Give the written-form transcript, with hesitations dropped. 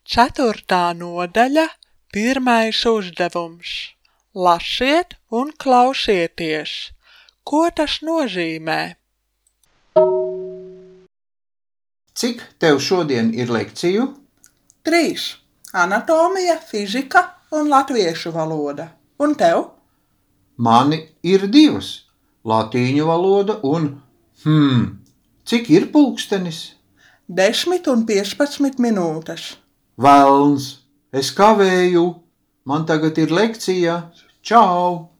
4. nodaļa, 1. uzdevums. Lasiet un klausieties. Ko tas nozīmē? Cik tev šodien ir lekciju? 3. Anatomija, fizika un latviešu valoda. Un tev? Mani ir 2. Latīņu valoda un... Cik ir pulkstenis? 10 un 15 minūtes. Velns, es kavēju. Man tagad ir lekcija. Čau!